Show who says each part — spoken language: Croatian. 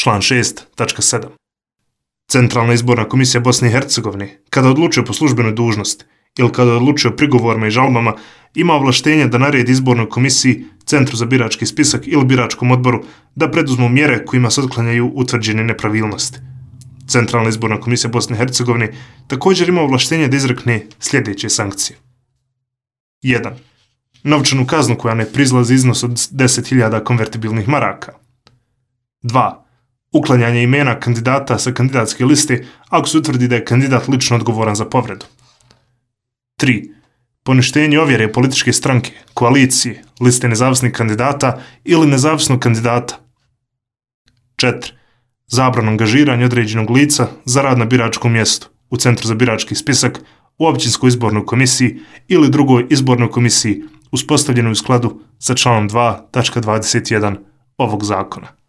Speaker 1: Član 6.7. Centralna izborna komisija Bosne i Hercegovine, kada odlučuje po službenoj dužnosti ili kada odlučuje o prigovorima i žalbama, ima ovlaštenje da naredi izbornoj komisiji, Centru za birački spisak ili biračkom odboru da preduzmu mjere kojima se otklanjaju utvrđene nepravilnosti. Centralna izborna komisija Bosne i Hercegovine također ima ovlaštenje da izrekne sljedeće sankcije. 1. Novčanu kaznu koja ne proizlazi iznos od 10.000 konvertibilnih maraka. 2. Uklanjanje imena kandidata sa kandidatske liste ako se utvrdi da je kandidat lično odgovoran za povredu. 3. Poništenje ovjere političke stranke, koalicije, liste nezavisnih kandidata ili nezavisnog kandidata. 4. Zabrana angažiranja određenog lica za rad na biračkom mjestu u Centru za birački spisak, u općinskoj izbornoj komisiji ili drugoj izbornoj komisiji uspostavljenoj u skladu sa članom 2.21 ovog zakona.